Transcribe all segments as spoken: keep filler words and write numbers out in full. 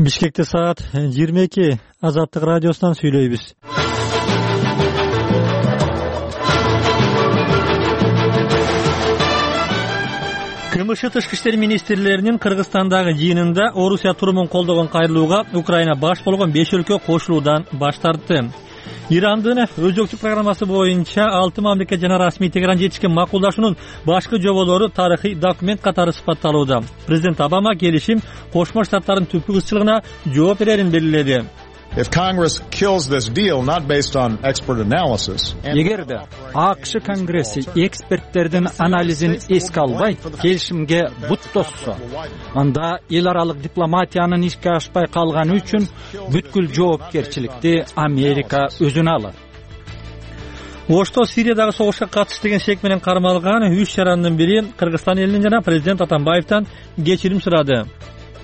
Бишкекте саат жыйырма эки. Азаттык радиосунан сүйлөйбүз. КМШ тышкы иштер министрлеринин Кыргызстандагы жыйынында Орусия турумун колдогон кайрылууга Украина баш болгон беш өлкө кошулуудан баш тартты. Ирандын өзөкчүлүк программасы боюнча алты мамлекет жана расмий Тегеран жетишкен макулдашуунун башкы жоболору тарыхый документ катары сыпатталууда. Президент Обама келишим Кошмо Штаттардын түпкү кызчылыгына жооп берерин белгиледи. Эгерде АКШ Конгресси эксперттердин анализин эске албай келишимге бут тосса, анда эл аралык дипломатиянын ишке ашпай калганы үчүн бүткүл жоопкерчиликти Америка өзүнө алат. Ошто Сириядагы согушка катыш деген шек менен кармалган үч жарандын бири Кыргызстан элинен жана президент Атамбаевден кечирим сурады.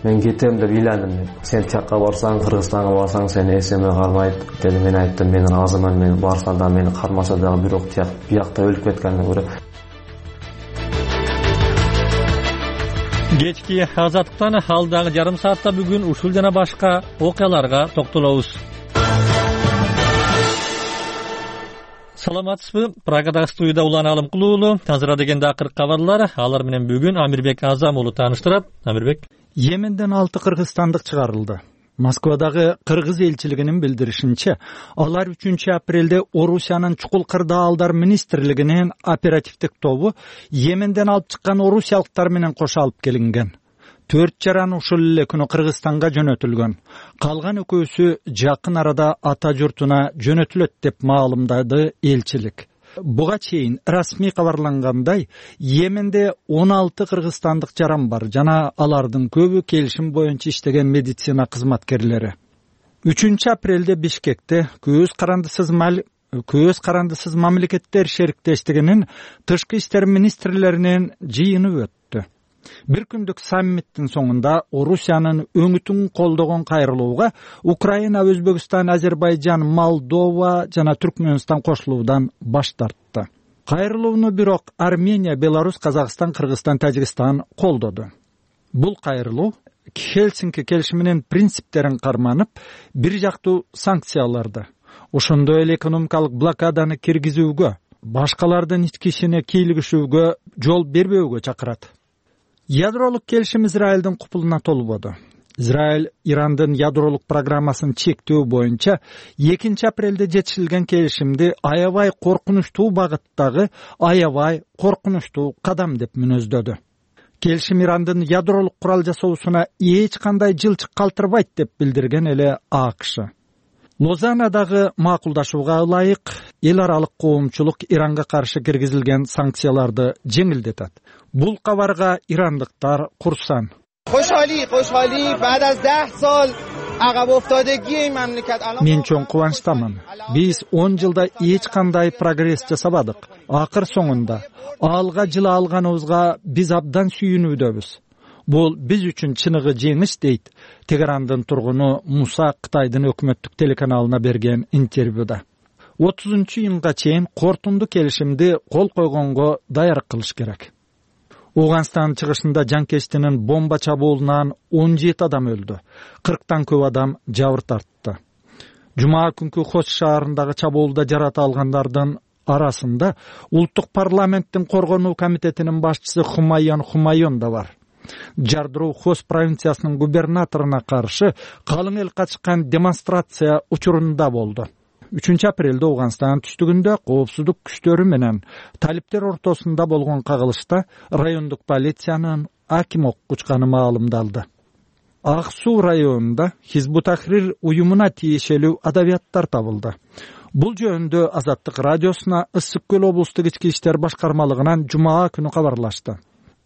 Мен кетем деп ыйландым. Сен чакка барсаң, Кыргызстанга барсаң, сени эсеме кармайт деп мен айттым. Менин азыман мен барсам да мени кармаса дагы бирок биякта өлүп кеткенден көрө. Кечки азаттыктан алдагы жарым саатта бүгүн ушул жана башка окуяларга токтолобуз. Саламатсызбы? Прагадагы студияда Улан Алымкулуулу, азыр дегенде акыркы кабарлар, алар менен бүгүн Амирбек Азам уулу тааныштырат. Амирбек. Йеменден алты кыргызстандык чыгарылды. Москвадагы кыргыз элчилигинин билдиришинче, алар үчүнчү апрелде Орусиянын чукул кырдаалдар министрлигинин оперативдик тобу Йеменден алып чыккан орусиялыктар менен кошо алып келинген. Төрт жаран ушул эле күнү Кыргызстанга жөнөтүлгөн. Калган экөөсү жакын арада ата журтуна жөнөтүлөт деп маалымдады элчилик. Буга чейин расмий кабарлангандай, Йеменде он алты кыргызстандык жаран бар жана алардын көбү келишим боюнча иштеген медицина кызматкерлери. үчүнчү апрелде Бишкекте көз карандысыз мал көз карандысыз мамлекеттер шериктештигинин тышкы иштер министрлеринин жыйыны өттү. Бир күндүк саммиттин соңунда Орусиянын өңүтүн колдогон кайрылууга Украина, Өзбекстан, Азербайжан, Молдова жана Түркмөнстан кошулуудан баш тартты. Кайрылууну бирок Армения, Беларусь, Казакстан, Кыргызстан, Тажикстан колдоду. Бул кайрылуу Хельсинки келишиминин принциптерин карманып, бир жактуу санкцияларды, ошондой эле экономикалык блокаданы киргизүүгө, башкалардын ички ишине кийлигишүүгө жол бербөөгө чакырат. Ядролук келишим Израилдин купулуна толбоду. Израиль Ирандын ядролук программасын чектөө боюнча экинчи апрелде жетишилген келишимди аябай коркунучтуу багыттагы аябай коркунучтуу кадам деп мүнөздөдү. Келишим Ирандын ядролук курал жасоосуна эч кандай жылчык калтырбайт деп билдирген эле АКШ. Лозаннадагы макулдашууга ылайык эл аралык коомчулук Иранга каршы киргизилген санкцияларды жеңилдетет. Бул кабарга ирандыктар курсан. Мен чоң кубанычтамын. Биз он жылда эч кандай прогресс жасабадык. Акыр соңунда алга жыла алганыбызга биз абдан сүйүнүүдөбүз. Бул биз үчүн чыныгы жеңиш дейт Тегерандын тургуну Муса Кытайдын өкмөттүк телеканалына берген интервьюда. отузунчу июнга чейин кортунду келишимди кол койгонго даярдык кылыш керек. Ауганстан чыгышында жанкечтинин бомба чабуулунан он жети адам өлдү. кырктан көп адам жабыр тартты. Жума күнкү Хош шаарындагы чабуулда жарата алгандардын арасында Улуттук парламенттин коргонуу комитетинин башчысы Хумайон Хумайон да бар. Жардыруу Хос провинциясынын губернаторуна каршы калың эл катышкан демонстрация учурунда болду. үчүнчү апрелде Ауганстан түштүгүндө коопсуздук күчтөрү менен талиптер ортосунда болгон кагылышта райондук полициянын аким окучканы маалымдалды. Ак Суу районунда Хизбут Тахрир уюмуна тиешелүү адабияттар табылды. Бул жөнүндө Азаттык радиосуна Ысык көл облустук ички иштер башкармалыгынан жума күнү кабарлашты.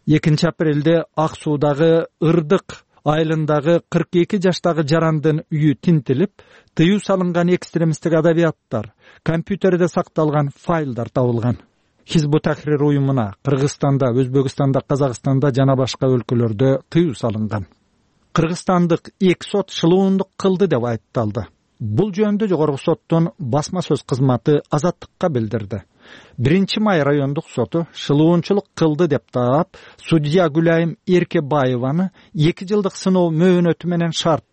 экинчи апрелде Ак Суудагы Ырдык айылындагы кырк эки жаштагы жарандын үйү тинтилип, тыюу салынган экстремисттик адабияттар, компьютерде сакталган файлдар табылган. Хизбут Тахрир уюмуна Кыргызстанда, Өзбекстанда, Казакстанда жана башка өлкөлөрдө тыюу салынган. Кыргызстандык эки сот шылуундук кылды деп айыпталды. Бул жөнүндө жогорку соттун басма сөз кызматы Азаттыкка билдирди. биринчи май райондук соту шылуунчулук кылды деп таап, судья Гүлайым Эркебаеваны эки жылдык сыноо мөөнөтү менен шарт